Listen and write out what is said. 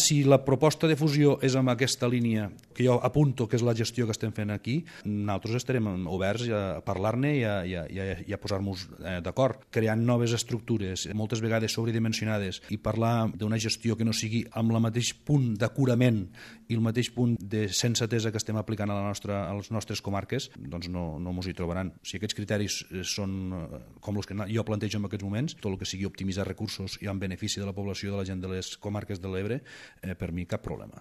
Si la proposta de fusió és amb aquesta línia que jo apunto, que és la gestió que estem fent aquí, nosaltres estarem oberts a parlar-ne i a posar-nos d'acord, creant noves estructures, moltes vegades sobredimensionades, i parlar d'una gestió que no sigui amb el mateix punt d'acurament i el mateix punt de sensatesa que estem aplicant a les nostres comarques, doncs no mos hi trobaran. Si aquests criteris són com els que jo plantejo en aquests moments, tot el que sigui optimitzar recursos i en benefici de la població de la gent de les comarques de l'Ebre, per mi cap problema.